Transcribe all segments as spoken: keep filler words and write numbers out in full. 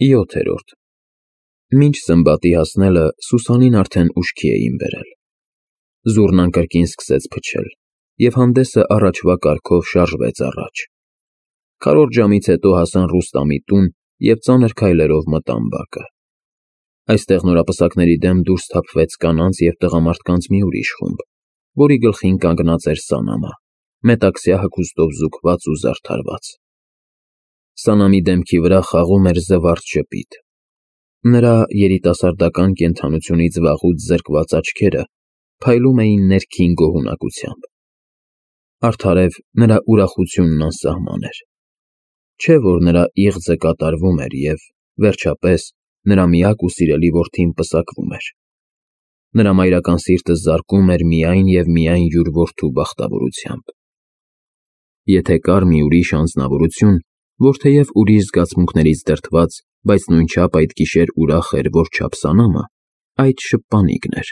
յոթերորդ Մինչ սմբատի հասնելը Սուսանին արդեն ուշքի էին բերել։ Զուռնան կրկին սկսեց փչել, և հանդեսը առաջվա կարգով շարժվեց առաջ։ Քառորդ ժամից հետո հասան Ռուստամի տուն և ծանր քայլերով մտան բակը։ Այստեղ նորապսակների դեմ դուրս թափվեց կանանց և տղամարդկանց մի ուրիշ խումբ, որի գլխին կանգնած էր Սանամը, մետաքսյա հագուստով զուգված ու զարդարված։ Սանամի դեմքի վրա խաղում էր զվարթ ժպիտ։ Նրա երիտասարդական կենդանությունից վաղուց զրկված աչքերը փայլում էին ներքին գոհունակությամբ։ Արդարև նրա ուրախությունն անսահման էր։ Չէ՞ որ նրա իղձը կատարվում էր և, վերջապես, նրա միակ ու սիրելի որդին պսակվում էր։ Նրա մայրական սիրտը զարկում էր միայն և միայն յուր որդու բախտավորությամբ։ Եթե կար մի ուրիշ անձնավորություն, որ թեև ուրիշ զգացմունքներից դրդված, բայց նույնչափ այդ գիշեր ուրախ էր որչափ Սանամը, այդ շպանիկն էր։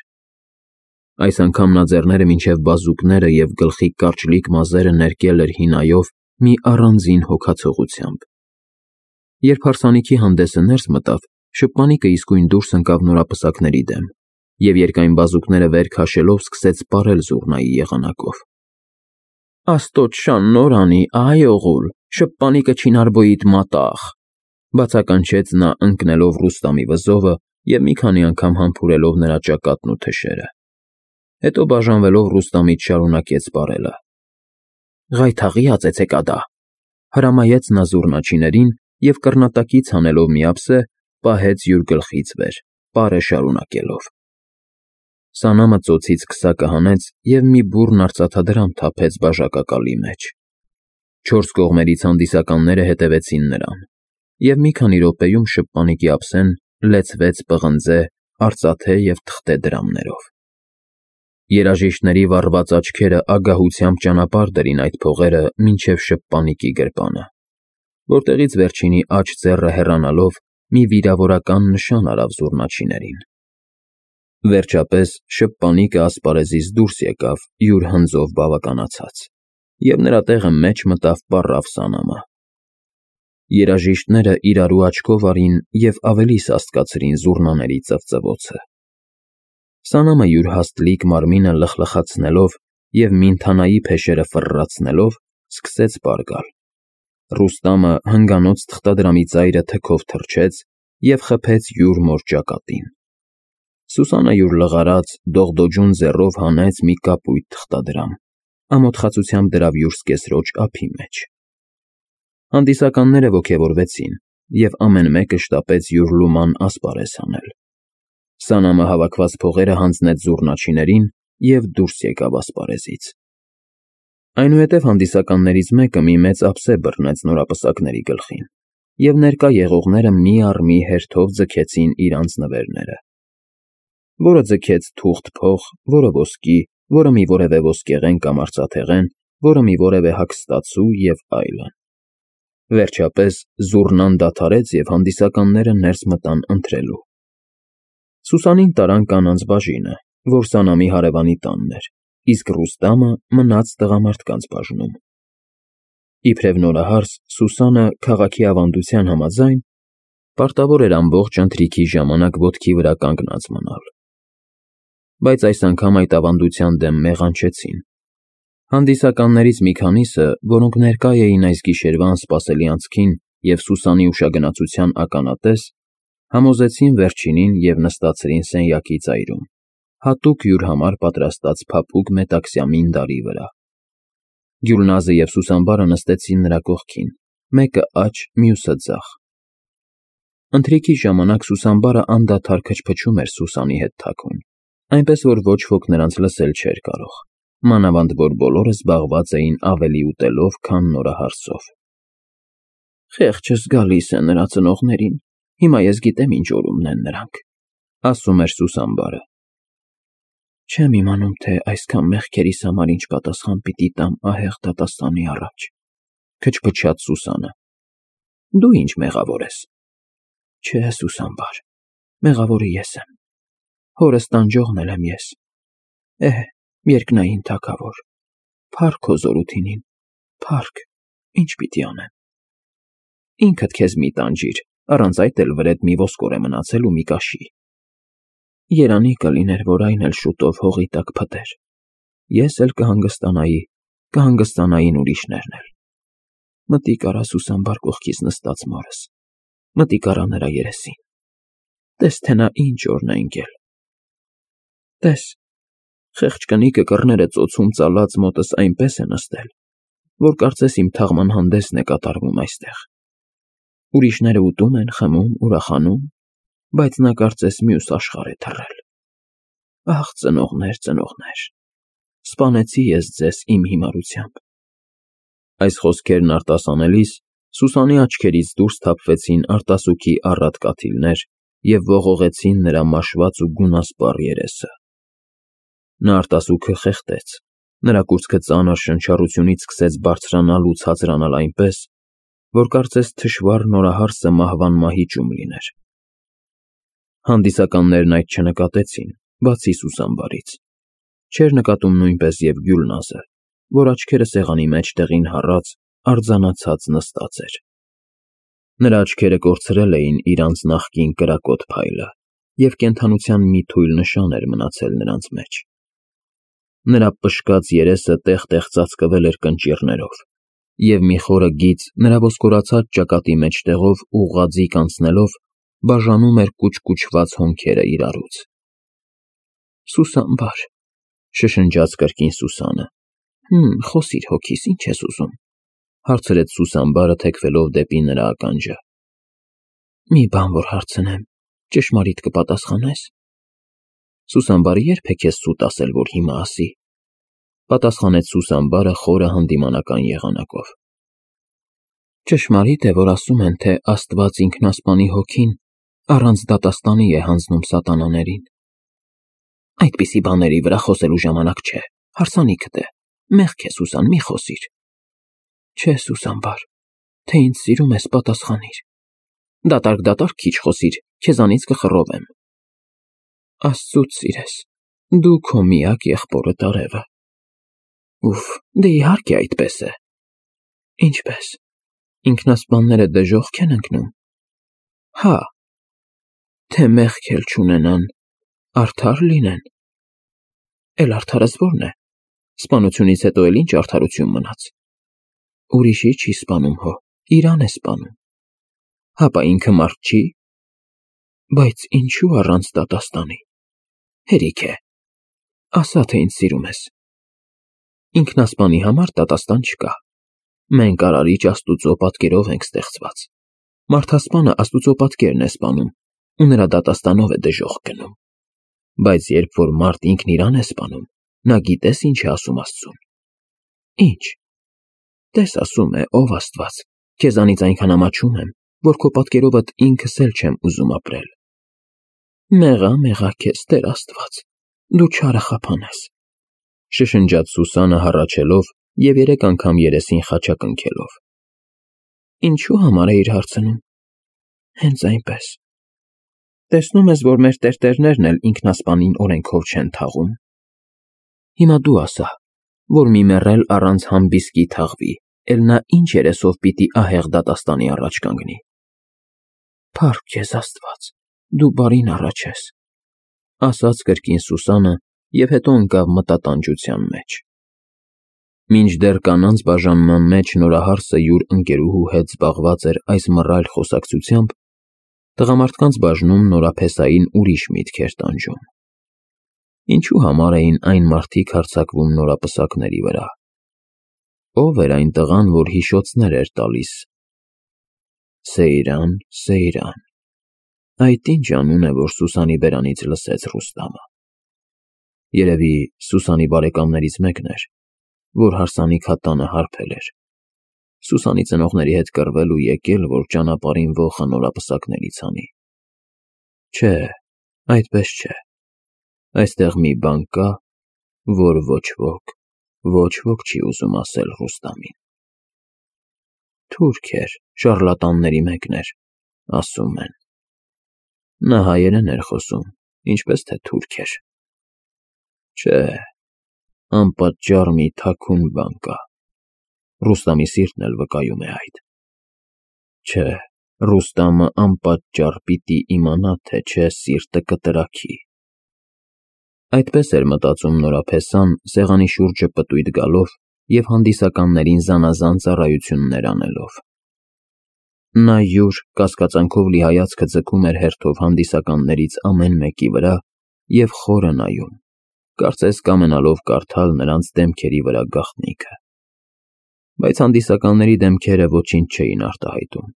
Այս անգամ նա ձեռները մինչև բազուկները և գլխի կարճլիկ մազերը ներկել էր հինայով մի առանձին հոգացողությամբ։ Երբ հարսանիքի հանդեսը ներս մտավ, շպանիկը իսկույն դուրս ընկավ նորապսակների դեմ և երկայն բազուկները վեր քաշելով սկսեց սպառել զուռնայի եղանակով։ «Աստոց շան նոր անի, այ օղուլ, շպանիկը չինարբոյիդ մատաղ», բացականչեց նա ընկնելով Ռուստամի վզովը և մի քանի անգամ համբուրելով նրա ճակատն ու թշերը։ Հետո բաժանվելով Ռուստամից շարունակեց սպառելը։ «Ղայթաղի ածեցեք ադա», հրամայեց նա զուռնաչիներին և կռնատակից հանելով մի ափսե, պահեց յուր գլխից վեր, պարը շարունակելով։ Սանամը ծոցից քսակը հանեց և մի բուռն արծաթադրամ թափեց բաժակակալի մեջ։ Չորս կողմերից հանդիսականները հետևեցին նրան, և մի քանի րոպեում շպանիկի ափսեն լեցվեց պղնձե, արծաթե և թղթե դրամներով։ Երաժիշտների վառված աչքերը ագահությամբ ճանապարհ դրին այդ փողերը մինչև շպանիկի գրպանը, որտեղից վերջինի աջ ձեռը հեռանալով մի վիրավորական նշան արավ զուռնաչիներին։ Վերջապես շպանիկը ասպարեզից դուրս եկավ յուր հնձով բավականացած, և նրա տեղը մեջ մտավ պառավ Սանամը։ Երաժիշտները իրարու աչքով արին և ավելի սաստկացրին զուռնաների ծվծվոցը։ Սանամը յուր հաստլիկ մարմինը լխլխացնելով և մինթանայի փեշերը ֆռռացնելով սկսեց պար գալ։ Ռուստամը հնգանոց թղթադրամի ծայրը թքով թռչեց և խփեց յուր մոր ճակատին։ Սուսանը յուր լղարած, դողդոջուն ձեռով հանեց մի կապույտ թղթադրամ, ամոթխածությամբ դրավ յուր սկեսրոջ ափի մեջ։ Հանդիսականները ոգևորվեցին, և ամեն մեկը շտապեց յուր լուման ասպարեզ հանել։ Սանամը հավաքված փողերը հանձնեց զուռնաչիներին և դուրս եկավ ասպարեզից։ Այնուհետև հանդիսականներից մեկը մի մեծ ափսե բռնեց նորապսակների գլխին, և ներկա եղողները մի առ մի հերթով ձգեցին իրանց նվերները։ Որը ձգեց թուղթ փող, որը ոսկի, որը մի որևէ ոսկեղեն կամ արծաթեղեն, որը մի որևէ հագստացու և այլն։ Վերջապես զուռնան դադարեց և հանդիսականները ներս մտան ընթրելու։ Սուսանին տարան կանանց բաժինը, որ Սանամի հարևանի տանն էր, իսկ Ռուստամը մնաց տղամարդկանց բաժնում։ Իբրև նորահարս Սուսանը, քաղաքի ավանդության համաձայն, պարտավոր էր ամբողջ ընթրիքի ժամանակ ոտքի վրա կանգնած մնալ։ Բայց այս անգամ այդ ավանդության դեմ մեղանչեցին։ Հանդիսականներից մի քանիսը, որոնք ներկա էին այս գիշերվա անսպասելի անցքին և Սուսանի ուշագնացության ականատես, համոզեցին վերջինին և նստացրին սենյակի ծայրում, հատուկ յուր համար պատրաստած փափուկ մետաքսյա մինդարի վրա։ Գյուլնազը և Սուսանբարը նստեցին նրա կողքին, մեկը աջ, մյուսը ձախ։ Ընթրիքի ժամանակ Սուսանբարը անդադար քչփչում էր Սուսանի հետ թաքուն, այնպես որ ոչ ոք նրանց լսել չէր կարող, մանավանդ որ բոլորը զբաղված էին ավելի ուտելով, քան նորահարսով։ «Խեղճս գալիս է նրա ծնողներին, հիմա ես գիտեմ ինչ օրումն են նրանք», ֊ ասում էր Սուսանբարը։ «Չեմ իմանում, թե այսքան մեղքերիս համար ինչ պատասխան պիտի տամ ահեղ դատաստանի առաջ», ֊ քչփչաց Սուսանը։ «Դու ինչ մեղավոր ես»։ «Չէ, Սուսանբար, մեղավորը ես եմ, հորս տանջողն էլ եմ ես։ Էհ, երկնային թագավոր, փառք քո զորութիին, փառք, ինչ պիտի անեմ»։ «Ինքդ քեզ մի տանջիր, առանց այդ էլ վրեդ մի ոսկոր է մնացել ու մի կաշի։ Երանի կլիներ, որ այն էլ շուտով հողի տակ փտեր։ Ես էլ կհանգստանայի, կհանգստանային ուրիշներն էլ։ Մտիկ արա Սուսանբար կողքից նստած մորս, մտիկ արա նրա երեսին, տես թե նա ինչ օրն է ընկել։ Տես, խեղճ կնիկը կռները ծոցում ծալած մոտս այնպես է նստել, որ կարծես իմ թաղման հանդեսն է կատարվում այստեղ։ Ուրիշները ուտում են, խմում, ուրախանում, բայց նա կարծես մյուս աշխարհ է թռել։ Ահ, ծնողներ, ծնողներ, սպանեցի ես ձեզ իմ հիմարությամբ։ Այս խոսքերն արտասանելիս Սուսանի աչքերից դուրս թափվեցին արտասուքի առատ կաթիլներ և ողողեցին նրա մաշված ու գունասպառ երեսը։ Նա արտասուքը խեղդեց, նրա կուրծքը ծանր շնչառությունից սկսեց բարձրանալ ու ցածրանալ այնպես, որ կարծես թշվառ նորահարսը մահվան մահիճում լիներ։ Հանդիսականներն այդ չնկատեցին, բացի Սուսանբարից։ Չէր նկատում նույնպես և Գյուլնազը, որ աչքերը սեղանի մեջ տեղին հառած, արձանացած նստած էր։ Նրա աչքերը կորցրել էին իրանց նախկին կրակոտ փայլը, և կենդանության մի թույլ նշան էր մնացել նրանց մեջ։ Նրա պշկած երեսը տեղ-տեղ ծածկվել էր կնճիռներով, և մի խորը գիծ նրա ոսկորացած ճակատի մեջտեղով ուղղաձիգ անցնելով բաժանում էր կուչկուչված հոնքերը իրարուց։ Սուսանբար, շշնջաց կրկին Սուսանը։ Հմ, խոսիր հոգիս, ինչ ես ուզում, հարցրեց Սուսանբարը թեքվելով դեպի նրա ականջը։ Մի բան որ հարցնեմ, ճշմարիտ կպատասխանե՞ս։ Սուսանբարը ե՞րբ է քեզ սուտ ասել, որ հիմա ասի, պատասխանեց Սուսանբարը խորը հանդիմանական եղանակով։ Ճշմարիտ է, որ ասում են, թե Աստված ինքնասպանի հոգին առանց դատաստանի է հանձնում սատանաներին։ Այդպիսի բաների վրա խոսելու ժամանակ չէ, հարսանիքդ է, մեղք է, Սուսան, մի խոսիր։ Չէ, Սուսանբար, թե ինձ սիրում ես, պատասխանիր։ Դատարկ-դատարկ քիչ խոսիր, քեզանից կխռովեմ։ Աստծուց սիրես, դու քո միակ եղբորդ արևը։ Ուֆ, դե իհարկե այդպես է։ Ինչպես, ինքնասպանները դժոխք են ընկնում։ Հա, թե մեղք էլ չունենան, արդար լինեն։ Էլ արդարս ո՞րն է։ Սպանությունից հետո էլ ինչ արդարություն մնաց։ Ուրիշի չի սպանում հո, իրան է սպանում։ Հապա ինքը մարդ չի։ Բայց ինչու առանց դատաստանի։ Հերիք է։ Ասա, թե ինձ սիրում ես։ Ինքնասպանի համար դատաստան չկա։ Մենք արարիչ Աստուծո պատկերով ենք ստեղծված։ Մարդասպանը Աստուծո պատկերն է սպանում, ու նրա դատաստանով է դժոխք գնում։ Բայց երբ որ մարդ ինքն իրան է սպանում, նա գիտես ինչ է ասում Աստծուն։ Ինչ։ Տես ասում է, ով Աստված, քեզանից այնքան ամաչում եմ, որ քո պատկերովդ ինքս էլ չեմ ուզում ապրել։ Մեղա, մեղա քեզ, Տեր Աստված, դու չարը խափան ես, շշնջաց Սուսանը հառաչելով և երեք անգամ երեսին խաչակ ընկելով։ Ինչու համար էիր հարցնում։ Հենց այնպես։ Տեսնում ես, որ մեր տերտերներն էլ ինքնասպանին օրենքով չեն թաղում։ Հիմա դու ասա, որ մի մեռել առանց համբիսկի թաղվի, էլ նա ինչ երեսով պիտի ահեղ դատաստանի առաջ կանգնի։ Փառք քեզ Աստված, դու բարին առաջ ես, ասաց կրկին Սուսանը և հետո ընկավ մտատանջության մեջ։ Մինչդեռ կանանց բաժանման մեջ նորահարսը յուր ընկերուհու հետ զբաղված էր այս մռայլ խոսակցությամբ, տղամարդկանց բաժնում նորափեսային ուրիշ միտք էր տանջում։ Ինչու համար էին այն մարդիկ հարձակվում նորապսակների վրա։ Ո՞վ էր այն տղան, որ հիշոցներ էր տալիս։ Սեյրան, Սեյրան։ Այդ ինչ անուն է, որ Սուսանի բերանից լսեց Ռուստամը։ Երևի Սուսանի բարեկամներից մեկն էր, որ հարսանիք հատանը հարբել էր։ Սուսանի ծնողների հետ կռվել ու եկել, որ ճանապարհին ոխը նորապսակներից հանի։ Չէ, այդպես չէ։ Այստեղ մի բան կա, որ ոչ ոք, ոչ ոք չի ուզում ասել Ռուստամին։ Թուրք էր, շառլատանների մեկն էր, ասում են։ Նա հայերեն էր խոսում, ինչպես թե թուրք էր։ Չէ, անպատճառ մի թաքուն բան կա։ Ռուստամի սիրտն էլ վկայում է այդ։ Չէ, Ռուստամը անպատճառ պիտի իմանա, թե չէ սիրտը կտրաքի։ Այդպես էր մտածում Նորապեսան, սեղանի շուրջը պտույտ գալով և հանդիսականներին զանազան ծառայություններ անելով։ Նա յուր կասկածանքով լի հայացքը ձգում էր հերթով հանդիսականներից ամեն մեկի վրա և խորը նայում, կարծես կամենալով կարդալ նրանց դեմքերի վրա գաղտնիքը։ Բայց հանդիսականների դեմքերը ոչինչ չէին արտահայտում,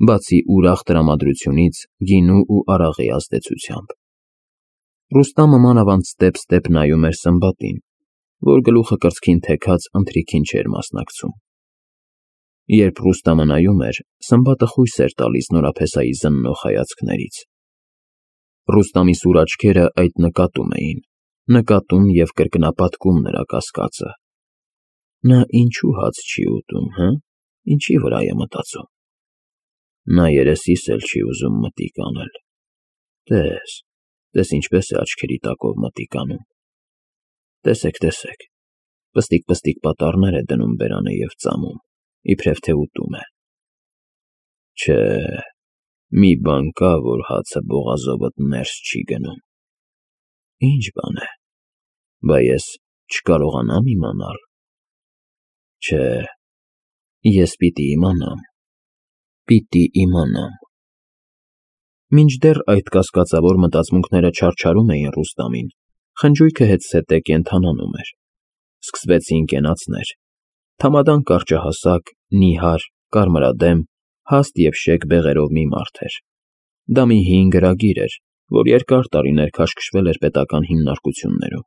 բացի ուրախ տրամադրությունից գինու ու արաղի ազդեցությամբ։ Ռուստամը մանավանդ ստեպ-ստեպ նայում էր Սմբատին, որ գլուխը կրծքին թեքած ընթրիքին չէր մասնակցում։ Երբ Ռուստամը նայում էր, Սմբատը խույս էր տալիս Նորապեսայի զննող հայացքներից։ Ռուստամի սուր աչքերը այդ նկատում էին, նկատում և կրկնապատկում նրա կասկածը։ Նա ինչու հաց չի ուտում, հը՞, ինչի վրա է մտածում։ Նա երեսիս էլ չի ուզում մտիկ անել։ Տես, տես ինչպես է աչքերի տակով մտիկ անում։ Տեսեք, տեսեք, պստիկ-պստիկ պատառներ է դնում բերանը և ծամում, իբրև թե ուտում է։ Չէ, մի բան կա, որ հացը բողազովդ ներս չի գնում։ Ինչ բան է, բա ես չկարողանամ իմանալ։ Չէ, ես պիտի իմանամ, պիտի իմանամ։ Մինչդեռ այդ կասկածավոր մտածմունքները չարչարում էին Ռուստամին, խնջույքը հետզհետե կենդանանում էր։ Սկսվեցին կենացներ։ Թամադան կարճահասակ, նիհար, կարմրադեմ, հաստ և շեկ բեղերով մի մարդ էր։ Դա մի հին գրագիր էր, որ երկար տարիներ քաշքշվել էր պետական հիմնարկություններում։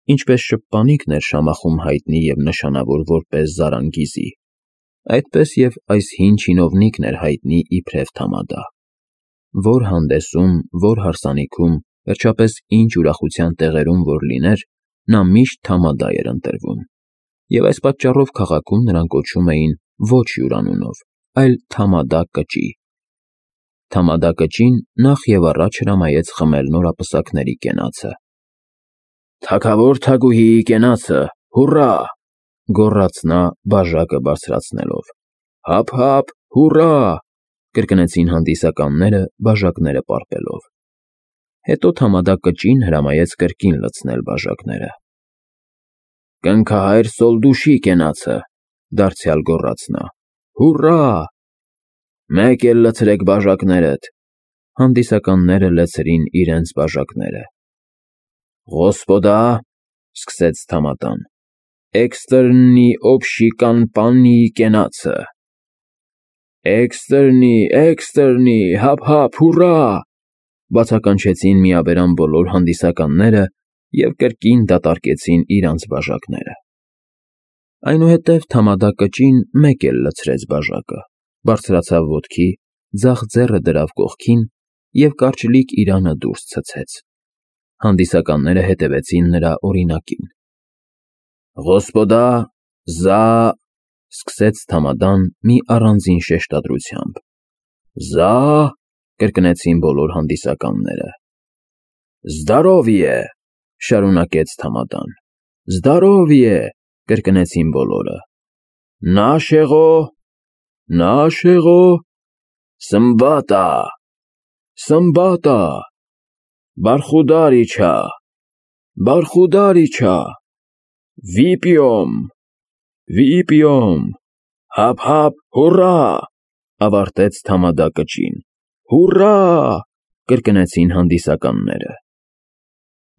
Ինչպես շփպանիկն էր Շամախում հայտնի և նշանավոր որպես Զարանգիզի, այդպես և այս հին չինովնիկն էր հայտնի իբրև Թամադա։ Որ հանդեսում, որ հարսանիքում, վերջապես ինչ ուրախության տեղերում որ լիներ, նա միշտ Թամադա էր ընտրվում, և այս պատճառով քաղաքում նրան կոչում էին ոչ հյուրանունով, այլ Թամադա կճի։ Թամադա կճին նախ և առաջ հրամայեց խմել նորապսակների կենացը։ «Թագավոր թագուհիի կենացը, հուռա», գոռաց նա բաժակը բարձրացնելով։ «Հափ֊հափ, հուռա», կրկնեցին հանդիսականները բաժակները պարպելով։ Հետո Թամադա կճին հրամայեց կրկին լցնել բաժակները։ «Կնքահայր Սոլդուշի կենացը», դարձյալ գոռաց նա։ «Հուռա»։ «Մեկ էլ լցրեք բաժակներդ», հանդիսականները լցրին իրենց բաժակները։ «Ղոսպոդա», սկսեց Թամադան, «էքստերնի օբշիկանպանիի կենացը»։ «Էքստերնի, էքստերնի, հափ֊հափ, հուռա», բացականչեցին միաբերան բոլոր հանդիսականները և կրկին դատարկեցին իրանց բաժակները։ Այնուհետև Թամադա կճին մեկ էլ լցրեց բաժակը, բարձրացավ ոտքի, ձախ ձեռը դրավ կողքին և կարճլիկ իրանը դուրս ցցեց։ Հանդիսականները հետևեցին նրա օրինակին։ «Ղոսպոդա, զա», սկսեց Թամադան մի առանձին շեշտադրությամբ։ «Զա», կրկնեցին բոլոր հանդիսականները։ «Զդարովիե», շարունակեց Թամադան։ «Զդարովիե», կրկնեցին բոլորը։ «Նաշեղո, Նաշեղո, Սմբատա, Սմբատա, Բարխուդարիչա, Բարխուդարիչա, Վիպիոմ, Վիպիոմ, հափ-հափ, հուռա», ավարտեց Թամադա կճին։ «Հուռա», կրկնեցին հանդիսականները։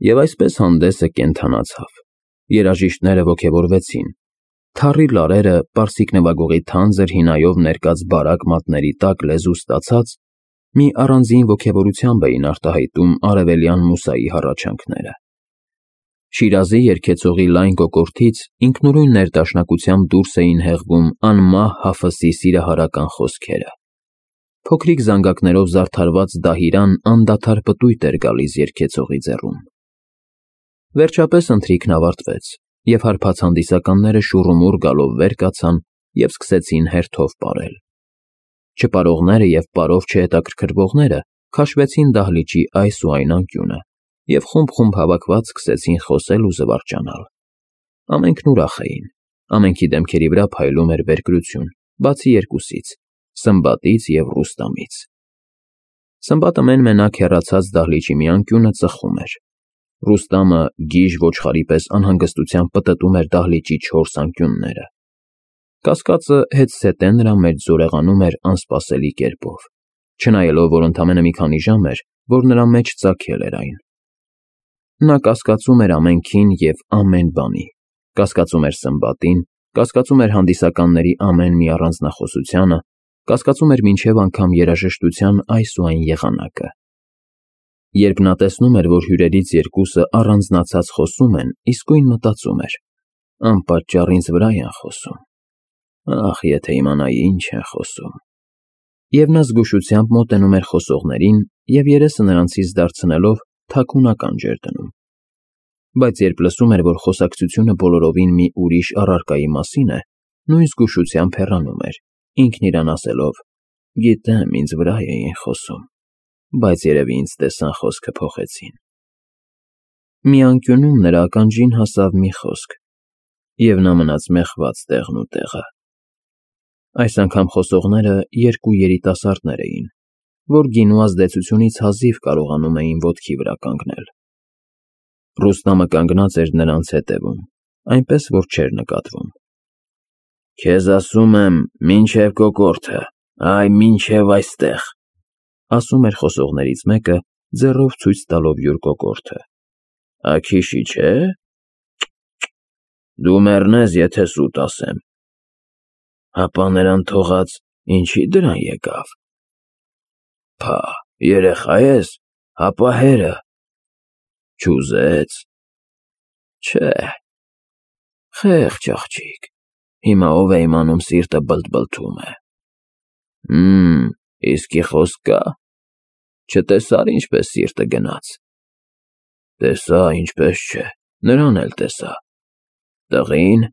Եվ այսպես հանդեսը կենդանացավ։ Երաժիշտները ոգևորվեցին։ Թառի լարերը, պարսիկ նվագողի թանձր հինայով ներկած բարակ մատների տակ լեզու ստացած, մի առանձին ոգևորությամբ էին արտահայտում արևելյան մուսայի հառաչանքները։ Շիրազի երգեցողի լայն կոկորդից ինքնուրույն ներդաշնակությամբ դուրս էին հեղվում անմահ Հաֆսի սիրահարական խոսքերը։ Փոքրիկ զանգակներով զարդարված դահիրան անդադար պտույտ էր գալիս երգեցողի ձեռում։ Վերջապես ընթրիքն ավարտվեց, և հարբած հանդիսականները շուռումուռ գալով վեր կացան և սկսեցին հերթով պարել։ Չպարողները և պարով չհետաքրքրվողները քաշվեցին դահլիճի այս ու այն անկյունը և խումբ-խումբ հավաքված սկսեցին խոսել ու զվարճանալ։ Ամենքն ուրախ էին, ամենքի դեմքերի վրա փայլում էր բերկրություն, բացի երկուսից՝ Սմբատից և Ռուստամից։ Սմբատը մեն-մենակ հեռացած դահլիճի մի անկյունը ծխում էր։ Ռուստամը գիժ ոչխարի պես անհանգստությամբ պտտում էր դահլիճի չորս անկյունները։ Կասկածը հետզհետե նրա մեջ զորեղանում էր անսպասելի կերպով, չնայելով, որ ընդամենը մի քանի ժամ էր, որ նրա մեջ ծագել էր այն։ Նա կասկածում էր ամենքին և ամեն բանի, կասկածում էր Սմբատին, կասկածում էր հանդիսականների ամեն մի առանձնախոսությանը, կասկածում էր մինչև անգամ երաժշտության այս ու այն եղանակը։ Երբ նա տեսնում էր, որ հյուրերից երկուսը առանձնացած խոսում են, իսկույն մտածում էր. անպատճառ ինձ վրա են խոսում, ախ, եթե իմանայի ինչ են խոսում։ Եվ նա զգուշությամբ մոտենում էր խոսողներին և երեսը նրանցից դարձնելով թաքուն ականջ էր դնում։ Բայց երբ լսում էր, որ խոսակցությունը բոլորովին մի ուրիշ առարկայի մասին է, նույն զգուշությամբ հեռանում էր, ինքն իրան ասելով. գիտեմ, ինձ վրա էին խոսում, բայց երևի ինձ տեսան խոսքը փոխեցին։ Մի անկյունում նրա ականջին հասավ մի խոսք, և նա մնաց մեխված տեղն ու տեղը։ Այս անգամ խոսողները երկու երիտասարդներ էին, որ գինու ազդեցությունից հազիվ կարողանում էին ոտքի վրա կանգնել։ Ռուստամը կանգնած էր նրանց հետևում, այնպես որ չէր նկատվում։ Քեզ ասում եմ, մինչև կոկորդը, այ մինչև այստեղ, ասում էր խոսողներից մեկը, ձեռով ցույց տալով յուր կոկորդը։ Աքիշի չէ՞։ Դու մեռնես, եթե սուտ ասեմ։ Հապա նրան թողած ինչի դրան եկավ։ Փա, երեխա ես, հապա հերը։ Չուզեց։ Չէ։ Խեղճ աղջիկ, հիմա ով է իմանում սիրտը բլթ-բլթում է։ Հմ, իսկի խոսք կա։ Չտեսա՞ր ինչպես սիրտը գնաց։ Տեսա, ինչպես չէ, նրան էլ տեսա։ Տղի՞ն։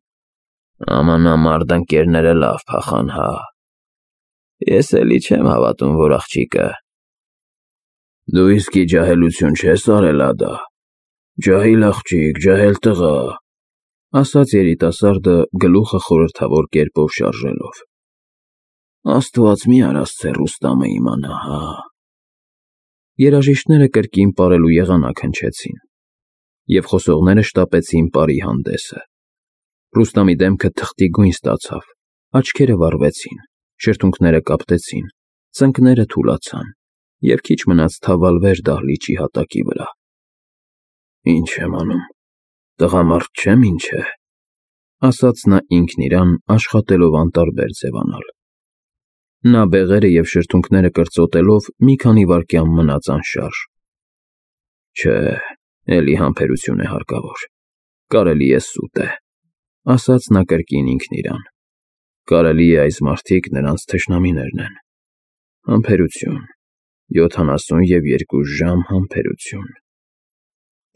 Ամանամարդ ընկերները լավ փախան, հա։ Ես էլի չեմ հավատում, որ աղջիկը։ Դու իսկի ջահելություն չես արել, ադա։ Ջահիլ աղջիկ, ջահել տղա, ասաց երիտասարդը գլուխը խորհրդավոր կերպով շարժելով։ Աստված մի արասցե Ռուստամը իմանա, հա։ Երաժիշտները կրկին պարելու եղանակ հնչեցին, և խոսողները շտապեցին պարի հանդեսը։ Ռուստամի դեմքը թղթի գույն ստացավ, աչքերը վառվեցին, շրթունքները կապտեցին, ծնկները թուլացան, և քիչ մնաց թավալվեր դահլիճի հատակի վրա։ Ինչ եմ անում, տղամարդ չեմ, ինչ է, ասաց նա ինքն իրան, աշխատելով անտարբեր ձևանալ։ Նա բեղերը և շրթունքները կրծոտելով մի քանի վայրկյան մնաց անշարժ։ Չէ, էլի համբերություն է հարկավոր, կարելի է սուտ է, ասաց նա կրկին ինքն իրան։ Կարելի է այս մարդիկ նրանց թշնամիներն են։ Համբերություն, յոթանասուն և երկու ժամ համբերություն։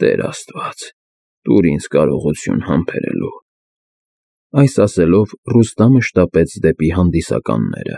Տեր Աստված, տուր ինձ կարողություն համբերելու։ Այս ասելով Ռուստամը շտապեց դեպի հանդիսականները։